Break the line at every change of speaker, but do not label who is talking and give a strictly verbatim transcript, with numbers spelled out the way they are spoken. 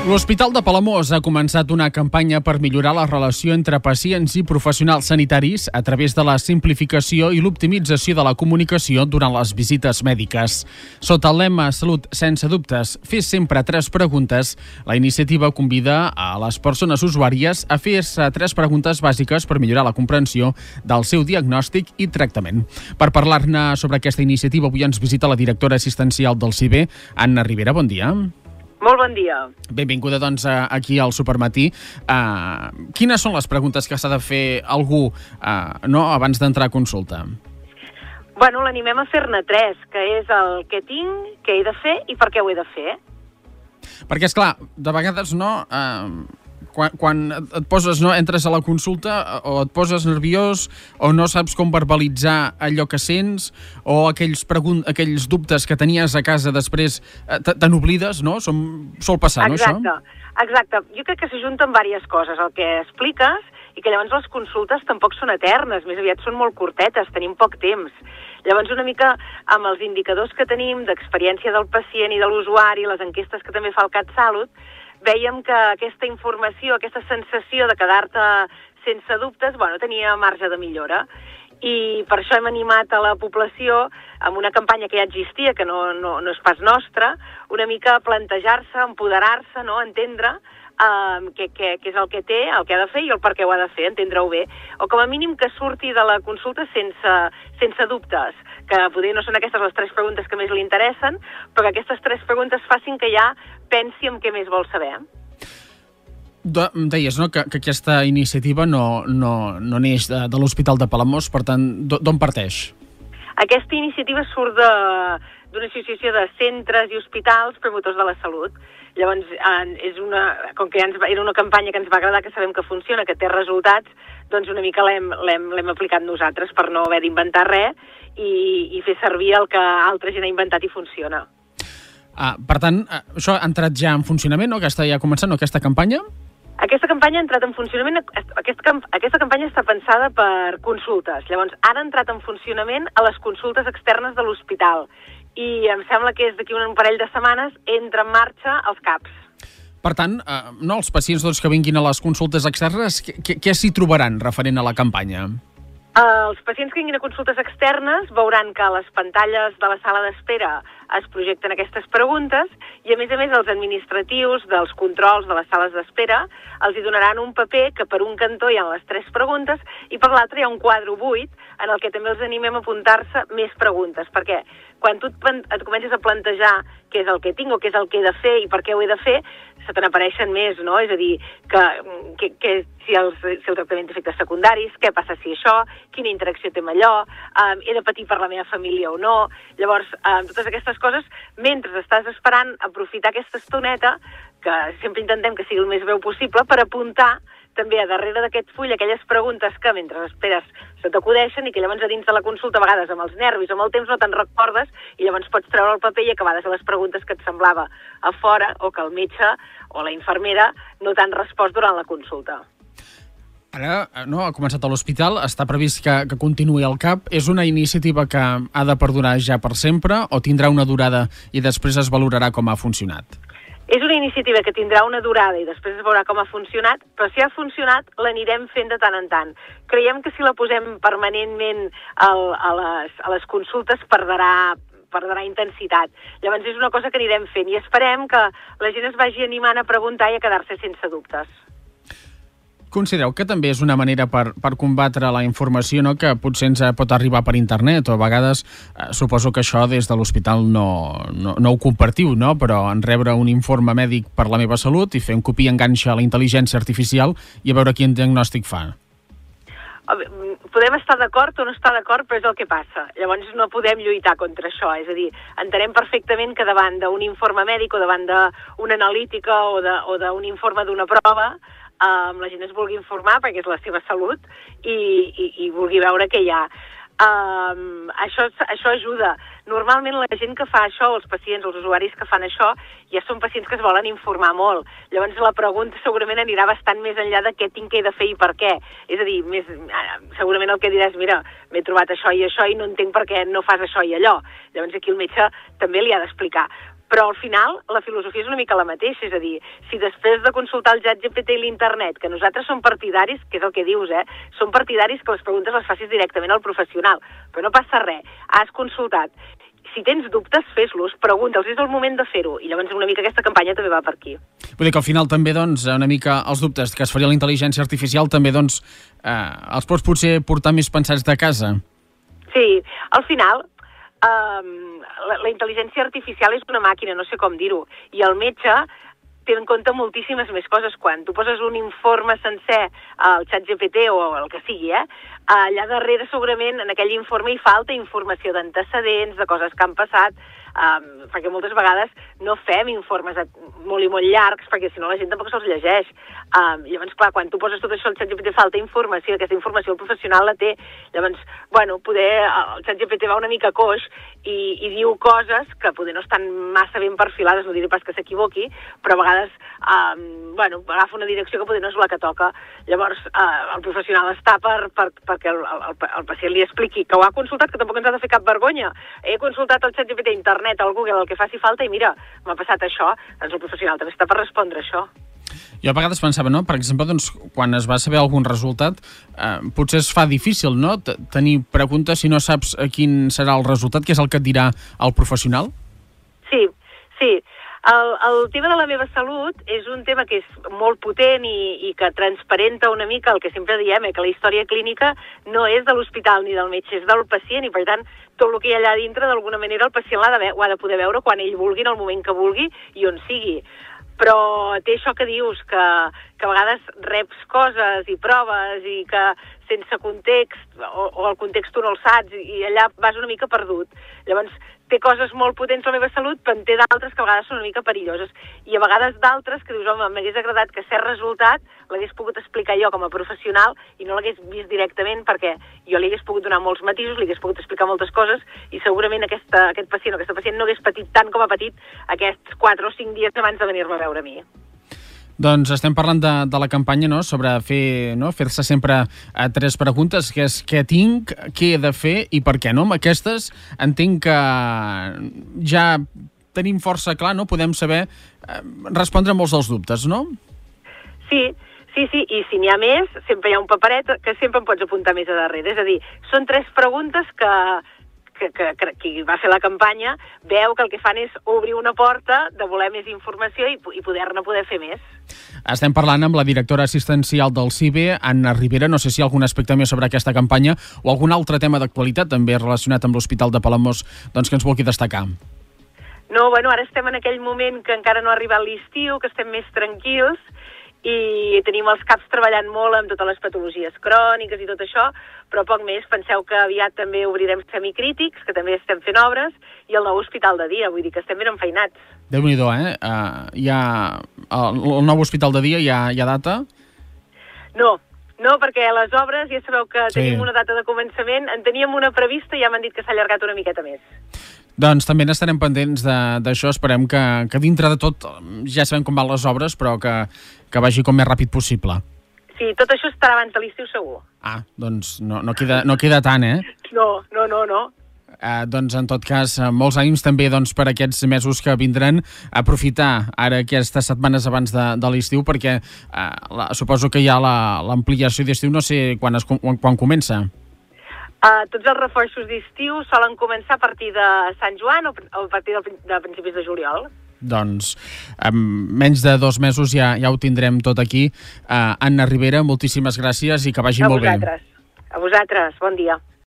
L'Hospital de Palamós ha començat una campanya per millorar la relació entre pacients i professionals sanitaris a través de la simplificació i l'optimització de la comunicació durant les visites mèdiques. Sota el lema Salut sense dubtes, fes sempre tres preguntes, la iniciativa convida a les persones usuàries a fer-se tres preguntes bàsiques per millorar la comprensió del seu diagnòstic i tractament. Per parlar-ne sobre aquesta iniciativa, avui ens visita la directora assistencial del C I B E, Anna Ribera. Bon dia.
Molt bon dia.
Benvinguda, doncs, aquí al Supermatí. Uh, quines són les preguntes que s'ha de fer algú uh, no, abans d'entrar a consulta?
Bueno, l'animem a fer-ne tres, que és el què tinc, què he de fer i per què ho he de fer.
Perquè, esclar, de vegades no... Uh, quan, quan et poses, no, entres a la consulta o et poses nerviós o no saps com verbalitzar allò que sents o aquells, pregun- aquells dubtes que tenies a casa després uh, te n'oblides, no? Som, sol passar,
Exacte.
no, això?
Exacte. Jo crec que s'ajunten diverses coses. El que expliques i que llavors les consultes tampoc són eternes, més aviat són molt curtetes, tenim poc temps. Llavors, una mica amb els indicadors que tenim d'experiència del pacient i de l'usuari, les enquestes que també fa el CatSalut, vèiem que aquesta informació, aquesta sensació de quedar-te sense dubtes, bueno, tenia marge de millora. I per això hem animat a la població amb una campanya que ja existia, que no, no, no és pas nostra, una mica a plantejar-se, empoderar-se, no? Entendre uh, què, què, què és el que té, el que ha de fer i el per què ho ha de fer, entendre-ho bé. O com a mínim que surti de la consulta sense, sense dubtes, que potser no són aquestes les tres preguntes que més li interessen, però que aquestes tres preguntes facin que ja pensi en què més vol saber.
De, deies, no?, que, que aquesta iniciativa no, no, no neix de, de l'Hospital de Palamós, per tant, d'on parteix?
Aquesta iniciativa surt d'una associació de centres i hospitals promotors de la salut. Llavors, eh, és una, com que ja ens va, era una campanya que ens va agradar, que sabem que funciona, que té resultats, doncs una mica l'hem aplicat nosaltres per no haver d'inventar res i, i fer servir el que altra gent ha inventat i funciona.
Ah, per tant, això ha entrat ja en funcionament, no? Aquesta ja ha començat, no? Aquesta campanya?
Aquesta campanya ha entrat en funcionament, aquesta, aquesta campanya està pensada per consultes. Llavors, ara ha entrat en funcionament a les consultes externes de l'hospital i em sembla que és d'aquí un parell de setmanes entra en marxa els CAPs.
Per tant, eh, no, els pacients doncs, que vinguin a les consultes externes, què, què s'hi trobaran referent a la campanya?
Els pacients que vinguin a consultes externes veuran que a les pantalles de la sala d'espera es projecten aquestes preguntes i, a més a més, els administratius dels controls de les sales d'espera els hi donaran un paper que per un cantó hi ha les tres preguntes i per l'altre hi ha un quadre buit en el que també els animem a apuntar-se més preguntes, perquè quan tu et comences a plantejar què és el que tinc o què és el que he de fer i per què ho he de fer, se te n'apareixen més, no? És a dir, que, que, que si, el, si el tractament té efectes secundaris, què passa si això, quina interacció té amb allò, um, he de patir per la meva família o no. Llavors, um, totes aquestes coses, mentre estàs esperant aprofitar aquesta estoneta, que sempre intentem que sigui el més breu possible, per apuntar també a darrere d'aquest full aquelles preguntes que mentre esperes se t'acudeixen i que llavors a dins de la consulta a vegades amb els nervis, amb el temps no te'n recordes i llavors pots treure el paper i acabar de fer les preguntes que et semblava a fora o que el metge o la infermera no t'han respost durant la consulta.
Ara, no, ha començat a l'hospital, està previst que, que continuï al CAP. És una iniciativa que ha de perdurar ja per sempre o tindrà una durada i després es valorarà com ha funcionat?
És una iniciativa que tindrà una durada i després es veurà com ha funcionat, però si ha funcionat l'anirem fent de tant en tant. Creiem que si la posem permanentment al, a, les, a les consultes perdrà, perdrà intensitat. Llavors és una cosa que anirem fent i esperem que la gent es vagi animant a preguntar i a quedar-se sense dubtes.
Considereu que també és una manera per, per combatre la informació, no?, que potser ens pot arribar per internet o a vegades eh, suposo que això des de l'hospital no, no, no ho compartiu, no?, però en rebre un informe mèdic per la meva salut i fer un copia enganxa a la intel·ligència artificial i a veure quin diagnòstic fa.
Podem estar d'acord o no estar d'acord, però és el que passa. Llavors no podem lluitar contra això. És a dir, entenem perfectament que davant d'un informe mèdic o davant d'una analítica o d'un informe d'una prova, Um, la gent es vulgui informar perquè és la seva salut i, i, i vulgui veure què hi ha. Um, això, això ajuda. Normalment la gent que fa això, els pacients, els usuaris que fan això, ja són pacients que es volen informar molt. Llavors la pregunta segurament anirà bastant més enllà de què tinc que he de fer i per què. És a dir, més, segurament el que diràs, mira, m'he trobat això i això i no entenc per què no fas això i allò. Llavors aquí el metge també li ha d'explicar. Però al final la filosofia és una mica la mateixa, és a dir, si després de consultar el ChatGPT i l'internet, que nosaltres som partidaris, que és el que dius, eh, som partidaris que les preguntes les facis directament al professional, però no passa res, has consultat. Si tens dubtes, fes-los, pregunta'ls, és el moment de fer-ho, i llavors una mica aquesta campanya també va per aquí.
Vull dir que al final també, doncs, una mica els dubtes que es faria la intel·ligència artificial també, doncs, eh, els pots potser portar més pensats de casa.
Sí, al final, um, la, la intel·ligència artificial és una màquina, no sé com dir-ho, i el metge té en compte moltíssimes més coses. Quan tu poses un informe sencer al ChatGPT o el que sigui, eh, allà darrere segurament en aquell informe hi falta informació d'antecedents, de coses que han passat, um, perquè moltes vegades no fem informes molt i molt llargs, perquè si no la gent tampoc se'ls llegeix. Um, llavors, clar, quan tu poses tot això al ChatGPT falta informació, aquesta informació el professional la té. Llavors, bueno, poder el ChatGPT va una mica coix i, i diu coses que poder no estan massa ben perfilades, no diré pas que s'equivoqui, però a vegades um, bueno, agafa una direcció que poder no és la que toca. Llavors, uh, el professional està per, per, perquè el, el, el pacient li expliqui que ho ha consultat, que tampoc ens ha de fer cap vergonya. He consultat el ChatGPT, internet, al Google, el que faci falta, i mira, m'ha passat això. Doncs el professional també està per respondre això.
Jo a vegades pensava, no? Per exemple, doncs, quan es va saber algun resultat, eh, potser es fa difícil, no?, T tenir preguntes si no saps quin serà el resultat, que és el que et dirà el professional?
Sí, sí. El, el tema de la meva salut és un tema que és molt potent i, i que transparenta una mica el que sempre diem, eh, que la història clínica no és de l'hospital ni del metge, és del pacient, i per tant tot el que hi ha allà dintre d'alguna manera el pacient l'ha de, ho ha de poder veure quan ell vulgui, en el moment que vulgui i on sigui. Però té això que dius, que, que a vegades reps coses i proves i que sense context, o, o el context tu no el saps, i allà vas una mica perdut. Llavors, té coses molt potents a la meva salut, però en té d'altres que a vegades són una mica perilloses. I a vegades d'altres que dius, home, m'hagués agradat que cert resultat l'hagués pogut explicar jo com a professional i no l'hagués vist directament, perquè jo li hagués pogut donar molts matisos, li hagués pogut explicar moltes coses, i segurament aquesta, aquest pacient o aquesta pacient no hagués patit tant com ha patit aquests quatre o cinc dies abans de venir-me a veure a mi.
Doncs estem parlant de, de la campanya, no?, sobre fer, no?, fer-se sempre a tres preguntes, que és què tinc, què he de fer i per què, no? Amb aquestes entenc que ja tenim força clar, no?, podem saber eh, respondre molts dels dubtes, no?
Sí, sí, sí, i si n'hi ha més, sempre hi ha un paperet que sempre em pots apuntar més a darrere. És a dir, són tres preguntes que... Que, que, que qui va fer la campanya veu que el que fan és obrir una porta de voler més informació i, i poder-ne poder fer més.
Estem parlant amb la directora assistencial del C I B E, Anna Ribera. No sé si hi ha algun aspecte més sobre aquesta campanya o algun altre tema d'actualitat també relacionat amb l'Hospital de Palamós, doncs, que ens vulgui destacar.
No, bueno, ara estem en aquell moment que encara no ha arribat l'estiu, que estem més tranquils, i tenim els caps treballant molt amb totes les patologies cròniques i tot això, però poc més. Penseu que aviat també obrirem semicrítics, que també estem fent obres, i el nou hospital de dia, vull dir que estem ben enfeinats.
Déu-n'hi-do, eh? Uh, hi ha el, el nou hospital de dia, hi ha, hi ha data?
No, no, perquè les obres, ja sabeu que
sí.
Tenim una data de començament, en teníem una prevista i ja m'han dit que s'ha allargat una miqueta més.
Doncs també n'estarem pendents d'això, esperem que, que dintre de tot, ja sabem com van les obres, però que, que vagi com més ràpid possible.
Sí, tot això estarà abans de l'estiu segur.
Ah, doncs no, no, queda, no queda tant, eh?
No, no, no, no.
Eh, doncs en tot cas, molts ànims també doncs, per aquests mesos que vindran, aprofitar ara aquestes setmanes abans de, de l'estiu, perquè eh, la, suposo que hi ha l'ampliació d'estiu, no sé quan, es, quan, quan comença.
Uh, tots els reforços d'estiu solen començar a partir de Sant Joan o a partir de, de principis de juliol.
Doncs en menys de dos mesos ja, ja ho tindrem tot aquí. Uh, Anna Ribera, moltíssimes gràcies i que vagi
a
molt
vosaltres. bé. A vosaltres, bon dia.